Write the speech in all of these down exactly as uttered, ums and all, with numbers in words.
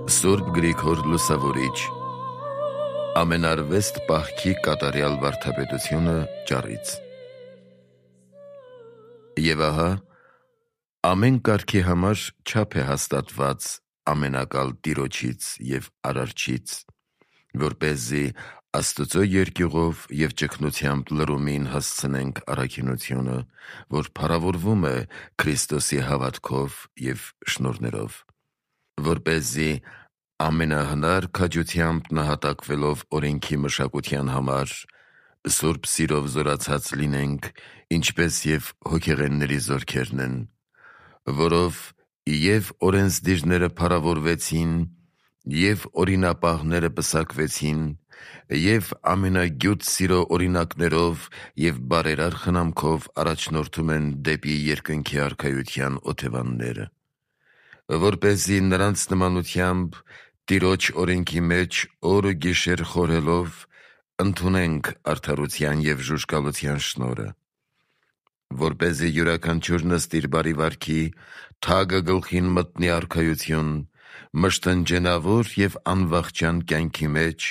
Սուրբ Գրիգոր Լուսավորիչ Ամենարվեստ պահքի կատարյալ վարդապետությունը ճառից։ Եվ ահա, ամեն կարգի համար չափ է հաստատված ամենակալ Տիրոջից և Արարչից, որպեսզի Աստծո երկյուղով և ճգնությամբ լռումին հասցնենք առաքինությունը, որ փառավորվում է Քրիստոսի հավատքով և շնորհներով, որպեսզի ամենահնար քաջությամբ նահատակվելով օրենքի մշակության համար, սուրբ սիրով զորացած լինենք, ինչպես և հոգեղենների զորքերն են, որով և օրենսդիրները փառավորվեցին, և օրինապահները պսակվեցին, և ամենագյուտ սիրո օրինակներով և բարերար խնամքով առաջնորդում են դեպի երկնքի Արքայության օթևանները, որպեսզի նրանց նմանությամբ Տիրոջ օրենքի մեջ օր ու գիշեր խորհելով ընդունենք արդարության և ժուժկալության շնորհը, որպեսզի յուրաքանչյուրն ըստ իր բարի վարքի թագը գլխին մտնի Արքայություն, մշտնջենավոր և անվախճան կյանքի մեջ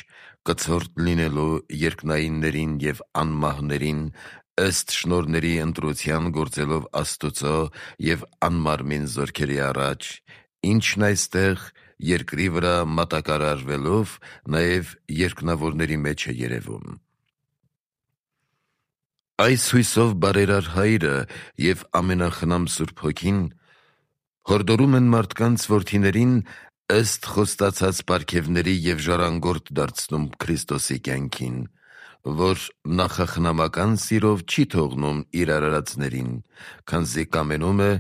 կցորդ լինելու երկնայիններին և անմահներին ըստ շնորհների ընտրության գործելով Աստուծո և անմարմին զորքերի առաջ, ինչն այստեղ երկրի վրա մատակարարվելով նաև երկնավորների մեջ է երևում։ Այս հույսով բարերար Հայրը և ամենախնամ Սուրբ Հոգին հորդորում են մարդկանց որդիներին ըստ խոստացած պարգևների և ժառանգորդ դարձնում Քրիստոսի կյանքին, որ նախախնամական սիրով չի թողնում իր արարածներին, քանզի կամենում է,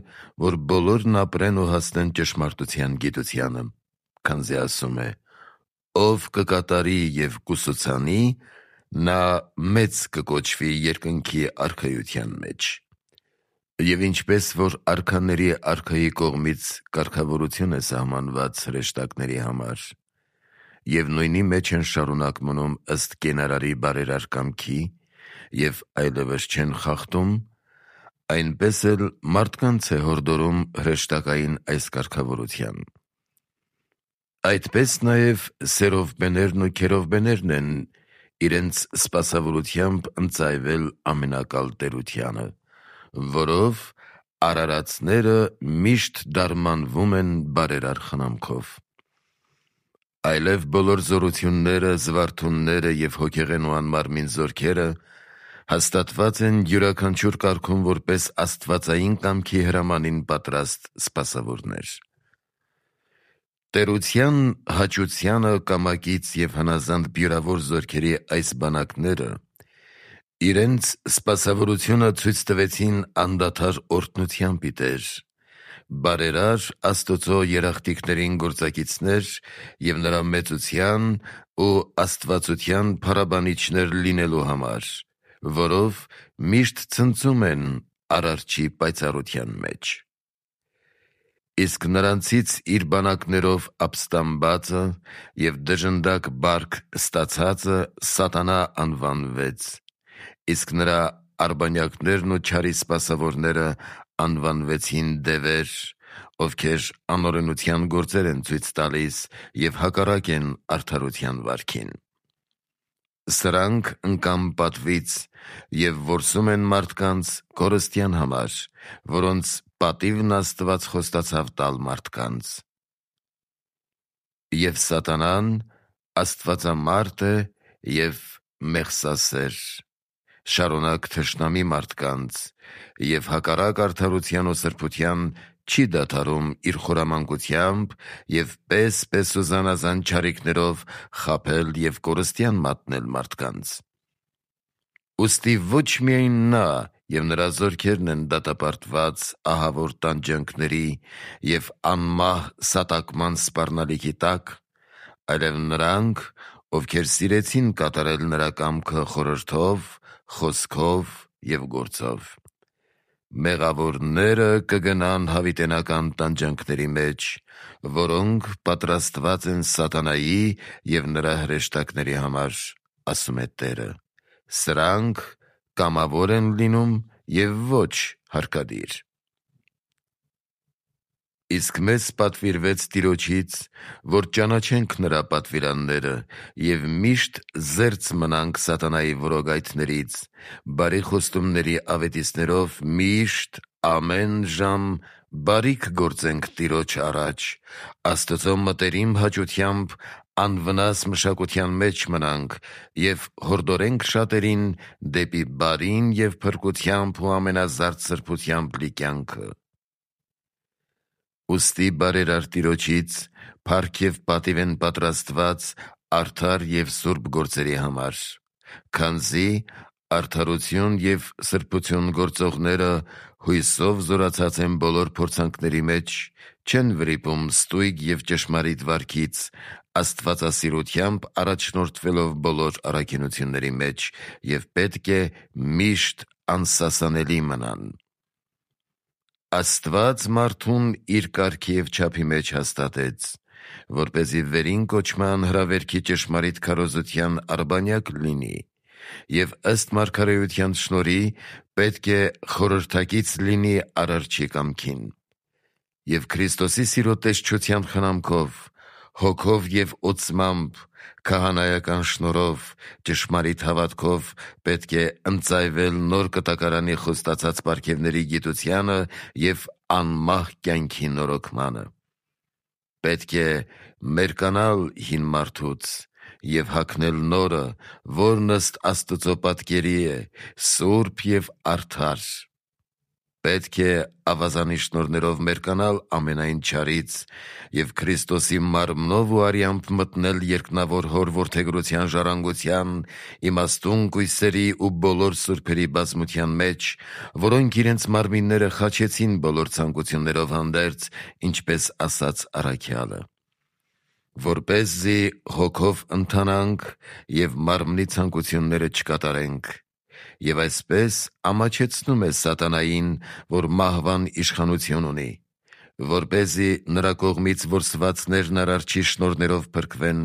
որ բոլորն ապրեն ու հասնեն ճշմարտության գիտությանը, քանզի ասում է. «Ով կկատարի և կուսուցանի, նա մեծ կկոչվի երկնքի Արքայության մեջ»։ Եվ ինչպես որ արքաների Արքայի կողմից կարգավորություն է սահմանված հրեշտակների համար, և նույնի մեջ են շարունակ մնում ըստ կենարարի բարերար կամքի և այլևս չեն խախտում, այնպես էլ մարդկանց է հորդորում հրեշտակային այս կարգավորության։ Այդպես նաև Սերովբեներն ու Քերովբեներն են իրենց սպասավորությամբ ընծայվել ամենակալ Տերությանը, որով արարածները միշտ դարմանվում են բարերար խնամքով։ Այլև բոլոր զորությունները, զվարթունները և հոգեղեն ու անմարմին զորքերը հաստատված են յուրաքանչյուր կարգում որպես աստվածային կամքի հրամանին պատրաստ սպասավորներ։ Տերության հաճությանը կամակից և հնազանդ բյուրավոր զորքերի այս բանակները իրենց սպասավորությունը ցույց տվեցին անդադար օրհնությամբ ի Տեր, բարերար Աստծո երախտիկներին գործակիցներ և նրա մեծության ու աստվածության փառաբանիչներ լինելու համար, որով միշտ ցնծում են Արարչի պայծառության մեջ։ Իսկ նրանցից իր բանակներով ապստամբածը և դժնդակ բարք ստացածը Սատանա անվանվեց, իսկ նրա արբանյակներն ու չարի սպասավորները անվանվեցին դևեր, ովքեր անօրենության գործեր են ցույց տալիս և հակառակ են արդարության վարքին։ Սրանք ընկան պատվից և որսում են մարդկանց կորստյան համար, որոնց պատիվն Աստված խոստացավ տալ մարդկանց։ Եվ Սատանան աստվածամարդ է և մեղսասեր, շարունակ թշնամի մարդկանց և հակառակ արդարության ու սրբության չի դադարում իր խորամանկությամբ և պես-պես ու զանազան չարիքներով խաբել և կորստյան մատնել մարդկանց։ Ուստի ոչ միայն նա և նրա զորքերն են դատապարտված ահավոր տանջանքների և անմահ սատակման սպառնալիքի տակ, այլև նրանք, ովքեր սիրեցին կատարել նրա կամքը խորհրդով, խոսքով և գործով։ Մեղավորները կգնան հավիտենական տանջանքների մեջ, որոնք պատրաստված են Սատանայի և նրա հրեշտակների համար, ասում է Տերը. սրանք կամավոր են լինում և ոչ հարկադիր։ Իսկ մեզ պատվիրվեց Տիրոջից, որ ճանաչենք նրա պատվիրանները և միշտ զերծ մնանք սատանայի որոգայթներից, բարի խոստումների ավետիցներով միշտ ամեն ժամ բարիք գործենք Տիրոջ առաջ, Աստծո մտերիմ հաճությամբ անվնաս մշակության մեջ մնանք և հորդորենք շատերին դեպի բարին և փրկությամբ ու ամենազարդ սրբությամբ լի կյանքը։ Ուստի բարերար Տիրոջից փառք և պատիվ են պատրաստված արդար և սուրբ գործերի համար, քանզի արդարություն և սրբություն գործողները հույսով զորացած են բոլոր փորձանքների մեջ, չեն վրիպում ստույգ և ճշմարիտ վարքից, աստվածասիրությամբ առաջնորդվելով բոլոր առաքինությունների մեջ և պետք է միշտ անսասանելի մնան։ Աստված մարդուն իր կարգի և չափի մեջ հաստատեց, որպեսզի վերին կոչման հրավերքի ճշմարիտ քարոզության արբանյակ լինի և ըստ մարգարեության շնորհի պետք է խորհրդակից լինի Արարչի կամքին։ Եվ Քրիստոսի սիրո տեսչության խնամքով, հոգով և օծմամբ, քահանայական շնորհով, ճշմարիտ հավատքով պետք է ընծայվել նոր կտակարանի խոստացած պարգևների գիտությանը և անմահ կյանքի նորոգմանը։ Պետք է մերկանալ հին մարդուց և հագնել նորը, որն ըստ Աստծո պատկերի է, սուրբ և արդար։ Պետք է ավազանի շնորհներով մերկանալ ամենայն չարից և Քրիստոսի մարմնով ու արյամբ մտնել երկնավոր Հոր որդեգրության ժառանգության, իմաստուն կույսերի ու բոլոր սուրբերի բազմության մեջ, որոնք իրենց մարմինները խաչեցին բոլոր ցանկություններով հանդերձ, ինչպես ասաց առաքյալը, որպեսզի հոգով ընթանանք և մարմնի ցանկությունները չկատարենք, և այսպես ամաչեցնում է սատանային, որ մահվան իշխանություն ունի, որպեսզի նրա կողմից որսվածներն Արարչի շնորհներով փրկվեն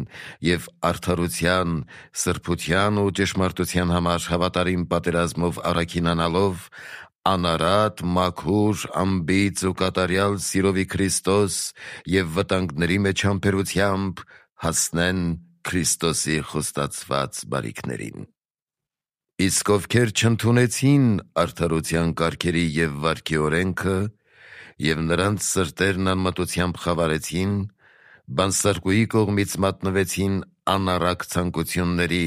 և արդարության, սրբության ու ճշմարտության համար հավատարիմ պատերազմով առաքինանալով, անարատ, մաքուր, անբիծ ու կատարյալ սիրովի Քրիստոս և վտանգների մեջ համբերությամբ հասնեն Քրիստոսի խոստացված բարիքներին։ Իսկ ովքեր չընդունեցին արդարության կարգերի և վարքի օրենքը և նրանց սրտերն անմտությամբ խավարեցին, բանսարկուի կողմից մատնվեցին անառակ ցանկությունների,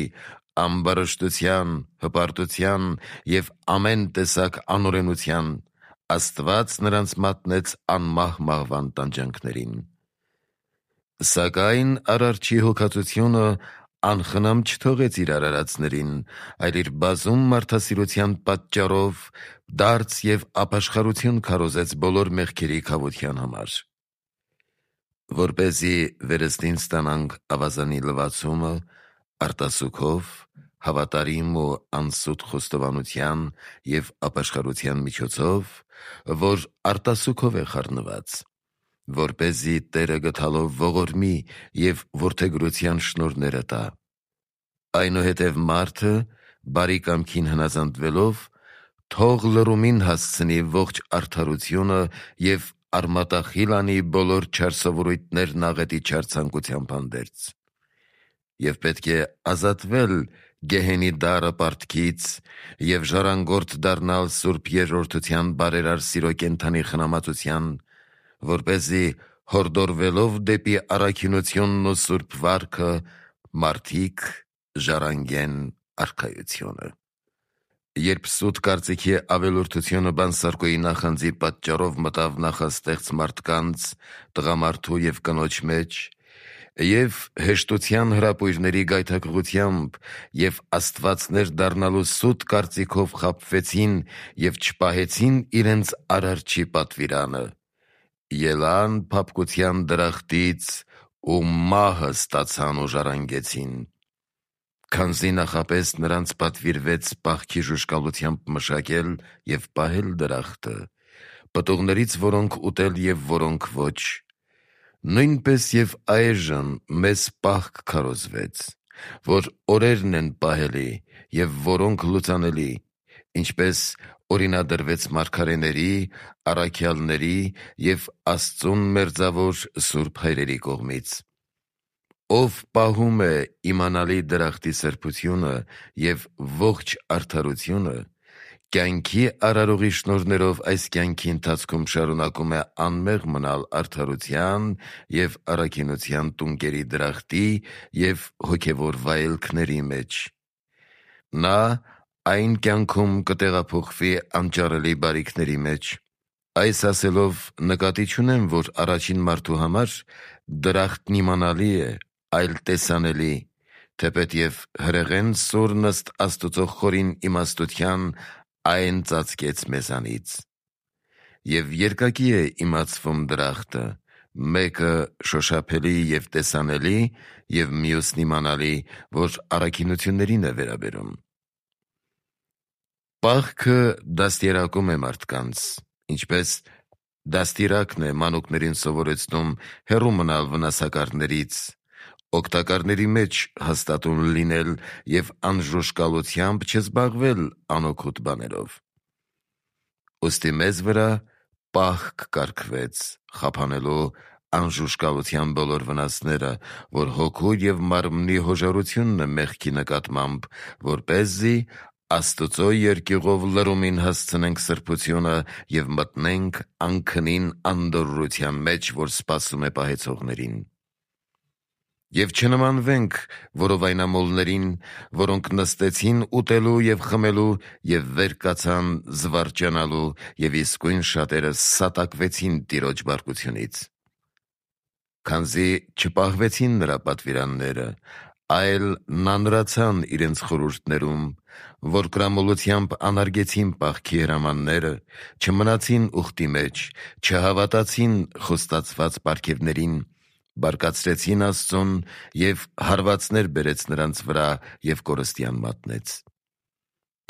ամբարշտության, հպարտության և ամեն տեսակ անօրենության, Աստված նրանց մատնեց անմահ մահվան տանջանքներին։ Սակայն Արարչի հոգածությունը անխնամ չթողեց իր արարածներին, այլ իր բազում մարդասիրության պատճառով դարձ և ապաշխարություն քարոզեց բոլոր մեղքերի քավության համար։ Որպեսզի վերստին ստանանք ավազանի լվացումը արտասուքով, հավատարիմ ու անսուտ խոստովանության և ապաշխարության միջոցով, որ արտասուքով է խառնված, որպեսզի Տերը գթալով ողորմի և որդեգրության շնորհները տա։ Այնուհետև մարդը, բարի կամքին հնազանդվելով, թող լռումին հասցնի ողջ արդարությունը և արմատախիլ անի բոլոր չար սովորույթներն աղետի չար ցանկությամբ հանդերձ։ Եվ պետք է ազատվել գեհենի դառը պարտքից և ժառանգորդ դառնալ սուրբ երկրորդության բարերար սիրո կենդանի խնամածության, որպեսզի հորդորվելով դեպի առաքինությունն ու սուրբ վարքը, մարդիկ ժառանգեն Արքայությունը։ Երբ սուտ կարծիքի ավելորդությունը բանսարկուի նախանձի պատճառով մտավ նախաստեղծ մարդկանց, տղամարդու և կնոջ մեջ, և հեշտության հրապույրների գայթակղությամբ և աստվածներ դառնալու սուտ կարծիքով խաբվեցին և չպահեցին իրենց Արարչի պատվիրանը, ելան փափկության դրախտից ու մահը ստացան ու ժառանգեցին։ Քանզի նախապես նրանց պատվիրվեց պահքի ժուժկալությամբ մշակել և պահել դրախտը, պտուղներից որոնք ուտել և որոնք ոչ, նույնպես և այժմ մեզ պահք քարոզվեց, որ օրերն են պահելի և որոնք լուծանելի, ինչպես օրինադրվեց մարգարեների, առաքյալների և Աստծուն մերձավոր սուրբ հայրերի կողմից։ Ով պահում է իմանալի դրախտի սրբությունը և ողջ արդարությունը, կյանքի արարողի շնորհներով այս կյանքի ընթացքում շարունակում է անմեղ մնալ արդարության և առաքինության տունկերի դրախտի և հոգևոր վայելքների մեջ։ Նա այն կյանքում կտեղափոխվի անճարելի բարիքների մեջ։ Այս ասելով նկատի չունեմ, որ առաջին մարդու համար դրախտն իմանալի է, այլ տեսանելի, թեպետև հրեղեն սորն ըստ Աստուծո խորին իմաստության այն ծածկեց մեզանից։ Եվ երկակի է իմացվում դրախտը, մեկը շոշափելի և տեսանելի, և մյուսն իմանալի, որ առաքինություններին է վերաբերում։ Պահքը դաստիարակում է մարդկանց, ինչպես դաստիարակն է մանուկներին սովորեցնում հեռու մնալ վնասակարներից, օգտակարների մեջ հաստատուն լինել և անժուշկալությամբ չզբաղվել անօգուտ բաներով։ Ուստի մեզ վրա պահք կարգվեց՝ խափանելու անժուշկալության բոլոր վնասները, որ հոգու և մարմնի հոժարությունն է մեղքի նկատմամբ, որպեսզի Աստուծո երկյուղով լրումին հասցնենք սրբությունը և մտնենք անքնին անդորրության մեջ, որ սպասում է պահեցողներին։ Եվ չնմանվենք որովայնամոլներին, որոնք նստեցին ուտելու և խմելու և վեր կացան զվարճանալու, և իսկույն շատերը սատակվեցին Տիրոջ բարկությունից։ Քանզի չպահվեցին նրա պատվիրանները, այլ նանրացան իրենց խորհուրդներում, որկրամոլությամբ անարգեցին պահքի հրամանները, չմնացին ուխտի մեջ, չհավատացին խոստացված պարգևներին, բարկացրեցին Աստծուն և հարվածներ բերեց նրանց վրա և կորստյան մատնեց։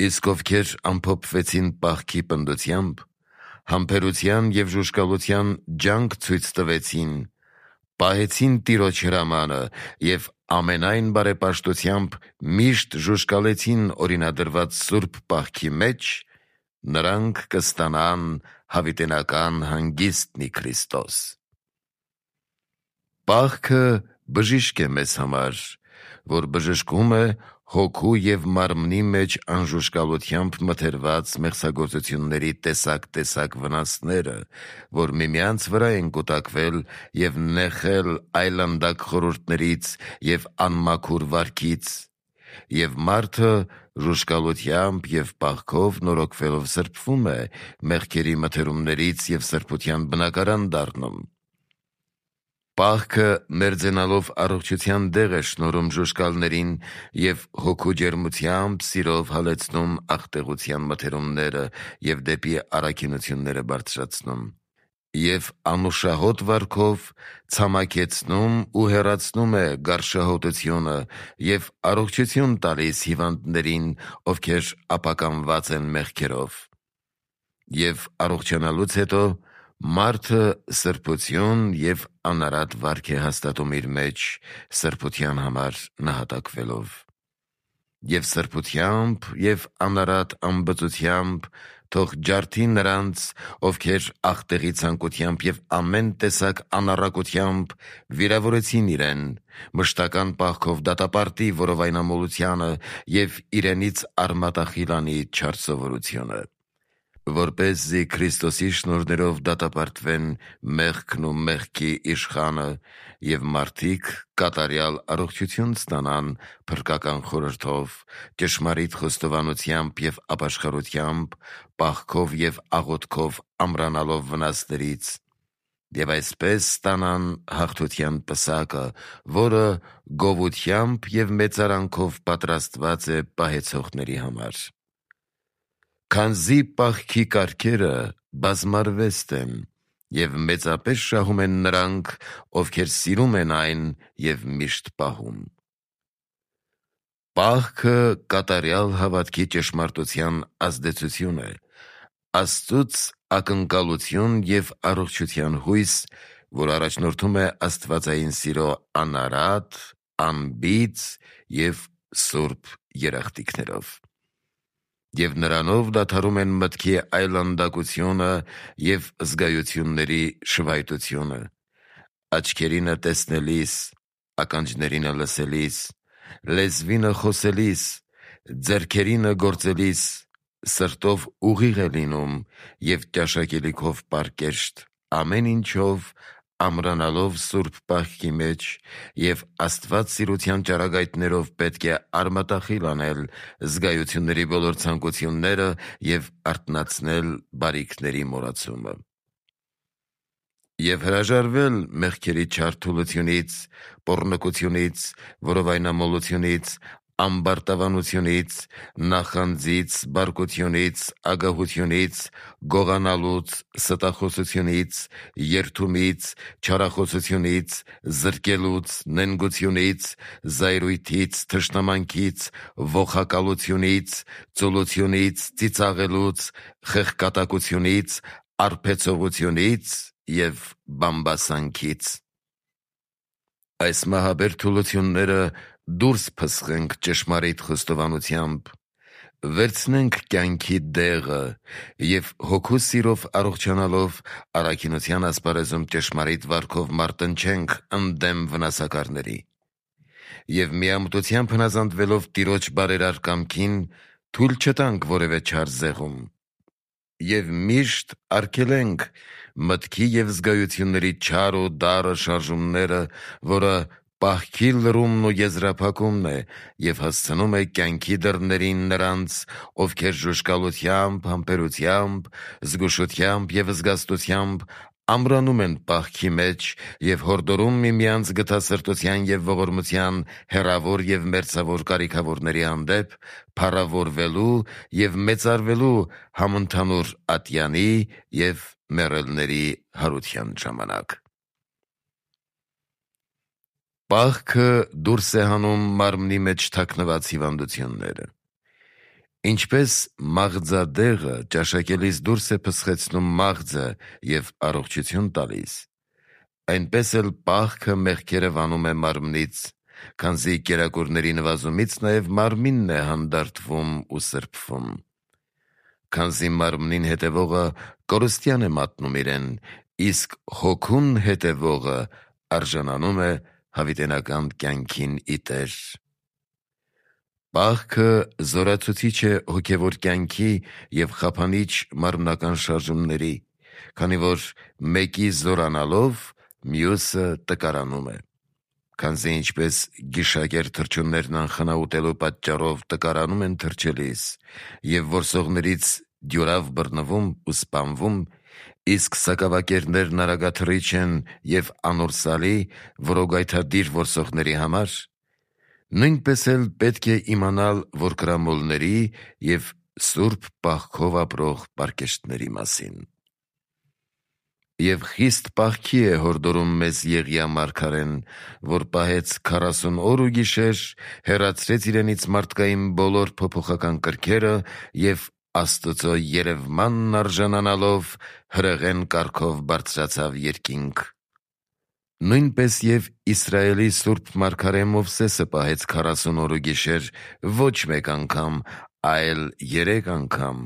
Իսկ ովքեր ամփոփվեցին պահքի պնդությամբ, համբերության և ժուժկալության ջանք ցույց տվեցին, պահեցին Տիրոջ հրամանը և ամենայն բարեպաշտությամբ միշտ ժուժկալեցին օրինադրված սուրբ պահքի մեջ, նրանք կստանան հավիտենական հանգիստն ի Քրիստոս։ Պահքը բժիշկ է մեզ համար, որ բժշկում է հոգու և մարմնի մեջ անժուշկալությամբ մթերված մեղսագործությունների տեսակ-տեսակ վնասները, որ միմյանց վրա են կուտակվել և նեխել այլանդակ խորհուրդներից և անմաքուր վարքից, և մարդը ժուժկալությամբ և պահքով նորոգվելով սրբվում է մեղքերի մթերումներից և սրբության բնակարան դառնում։ Պահքը մերձենալով առողջության դեղ է շնորհում ժուժկալներին և հոգու ջերմությամբ, սիրով հալեցնում աղտեղության մթերումները և դեպի առաքինությունները բարձրացնում, և անուշահոտ վարքով ցամաքեցնում ու հեռացնում է գարշահոտությունը և առողջություն տալիս հիվանդներին, ովքեր ապականված են մեղքերով։ Եվ առողջանալուց հետո մարդը սրբություն և անարատ վարք է հաստատում իր մեջ, սրբության համար նահատակվելով։ Եվ սրբությամբ և անարատ անբծությամբ թող ջարդի նրանց, ովքեր աղտեղի ցանկությամբ և ամեն տեսակ անառակությամբ վիրավորեցին իրեն, մշտական պահքով դատապարտի որովայնամոլությանը և իրենից արմատախիլ անի չար սովորությունը, որպեսզի Քրիստոսի շնորհներով դատապարտվեն մեղքն ու մեղքի իշխանը, և մարդիկ կատարյալ առողջություն ստանան փրկական խորհրդով, ճշմարիտ խոստովանությամբ և ապաշխարությամբ, պահքով և աղոթքով ամրանալով վնասներից, և այսպես ստանան հաղթության պսակը, որը գովությամբ և մեծարանքով պատրաստված է պահեցողների համար։ Քանզի պահքի կարգերը բազմարվեստ են, և մեծապես շահում են նրանք, ովքեր սիրում են այն և միշտ պահում։ Պահքը կատարյալ հավատքի ճշմարտության ազդեցություն է, Աստծուց ակնկալություն և առողջության հույս, որ առաջնորդում է աստվածային սիրո անարատ, անբիծ և սուրբ երախտիկներով։ Եվ նրանով դադարում են մտքի այլանդակությունը և զգայությունների շվայտությունը, աչքերինը տեսնելիս, ականջներինը լսելիս, լեզվինը խոսելիս, ձեռքերինը գործելիս, սրտով ուղիղ է լինում և ճաշակելիքով պարկեշտ, ամեն ինչով ամրանալով սուրբ պահքի մեջ և Աստված սիրության ճառագայթներով պետք է արմատախիլ անել զգայությունների բոլոր ցանկությունները և արթնացնել բարիքների մոռացումը։ Եվ հրաժարվել մեղքերի չար թուլությունից, պոռնկությունից, որովայնամոլությունից, ամբարտավանությունից, նախանձից, բարկությունից, ագահությունից, գողանալուց, ստախոսությունից, երդումից, չարախոսությունից, զրկելուց, նենգությունից, զայրույթից, թշնամանքից, ողակալությունից, ծուլությունից, ծիծաղելուց, խեղկատակությունից, արբեցողությունից և բամբասանքից։ Այս մահաբեր թուլությունները դուրս փսխենք ճշմարիտ խոստովանությամբ, վերցնենք կյանքի դեղը և հոգու սիրով առողջանալով առաքինության ասպարեզում ճշմարիտ վարքով մարտնչենք ընդդեմ վնասակարների և միամտությամբ հնազանդվելով Տիրոջ բարերար կամքին թույլ չտանք որևէ չար զեղում և միշտ արգելենք մտքի և զգայությունների չար ու դառը շարժումները, որը պահքի լռումն ու եզրափակումն է և հասցնում է կյանքի դռներին նրանց, ովքեր ժուժկալությամբ, համբերությամբ, զգուշությամբ և զգաստությամբ ամրանում են պահքի մեջ և հորդորում միմյանց գթասրտության և ողորմության հեռավոր և մերձավոր կարիքավորների հանդեպ փառավորվելու և մեծարվելու համընդհանուր ատյանի և մեռելների հարության ժամանակ։ Պահքը դուրս է հանում մարմնի մեջ թաքնված հիվանդությունները։ Ինչպես մաղձադեղը ճաշակելիս դուրս է փսխեցնում մաղձը և առողջություն տալիս, այնպես էլ պահքը մեղքերը վանում է մարմնից, քանզի կերակուրների նվազումից նաև մարմինն է հանդարտվում ու սրբվում։ Քանզի մարմնին հետևողը կորստյան է մատնում իրեն, իսկ հոգուն հետևողը արժանանում է հավիտենական կյանքին ի Տեր։ Պահքը զորացուցիչ է հոգևոր կյանքի և խափանիչ մարմնական շարժումների, քանի որ մեկի զորանալով մյուսը տկարանում է։ Քանզի ինչպես գիշակեր թռչուններն անխնա պատճառով տկարանում են թռչելիս և որսողներից դյուրավ բռնվում ու սպանվում, իսկ սակավակերներն արագաթռիչ են և անորսալի որոգայթադիր որսողների համար, նույնպես էլ պետք է իմանալ, որ կրամոլների և սուրբ պահքով ապրող պարկեշտների մասին։ Եվ խիստ պահքի է հորդորում մեզ Եղիա մարգարեն, որ պահեց քառասուն օր ու գիշեր, հեռացրեց իրենից մարդկային բոլոր փոփոխական կրքերը և Աստծո երևմանն արժանանալով հրեղեն կարգով բարձրացավ երկինք։ Նույնպես և Իսրայելի սուրբ մարգարե Մովսեսը պահեց քառասուն օր ու գիշեր ոչ մեկ անգամ, այլ երեք անգամ,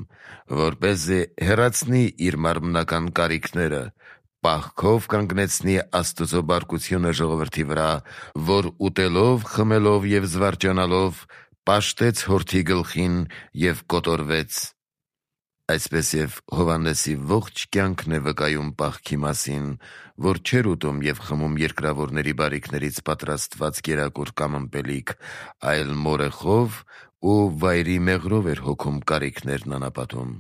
որպեսզի հեռացնի իր մարմնական կարիքները, պահքով կանգնեցնի Աստծո բարկությունը ժողովրդի վրա, որ ուտելով, խմելով և զվարճանալով պաշտեց հորթի գլխին և կոտորվեց։ Այսպես և Հովհաննեսի ողջ կյանքն է վկայում պահքի մասին, որ չէր ուտում և խմում երկրավորների բարիքներից պատրաստված կերակուր կամ ըմպելիք, այլ մորեխով ու վայրի մեղրով էր հոգում կարիքներն անապատում։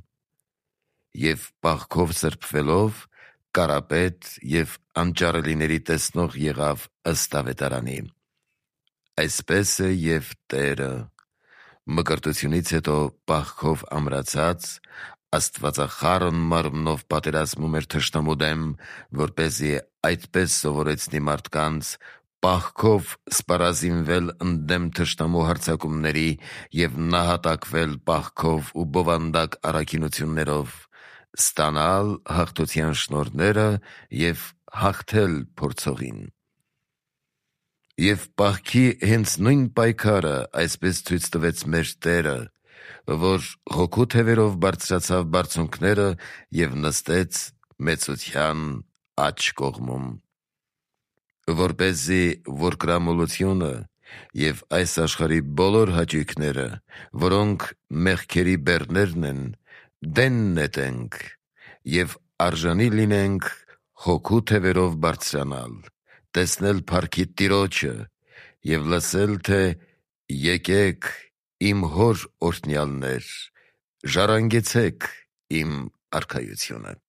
Եվ պահքով սրբվելով կարապետ և անճարելիների տեսնող եղավ ըստ ավետարանի։ Այսպես է և Տերը մկրտությունից հետո պահքով ամրացած աստվածախառն մարմնով պատերազմում էր թշնամու դեմ, որպեսզի այդպես սովորեցնի մարդկանց պահքով սպառազինվել ընդդեմ թշնամու հարձակումների և նահատակվել պահքով ու բովանդակ առաքինություններով, ստանալ հաղթության շնորհները և հաղթել փորձողին։ Եվ պահքի հենց նույն պայքարը այսպես ցույց տվեց մեր Տերը, որ հոգու թևերով բարձրացավ բարձունքները և նստեց մեծության աջ կողմում, որպեսզի որ կրամոլությունը և այս աշխարհի բոլոր հաճույքները, որոնք մեղքերի բեռներն են, դեն նետենք և արժանի լինենք հոգու թևերով բարձրանալ, տեսնել փառքի Տիրոջը և լսել, թե «Եկեք, իմ Հոր օրհնյալներ, ժառանգեցեք իմ արքայությունը»։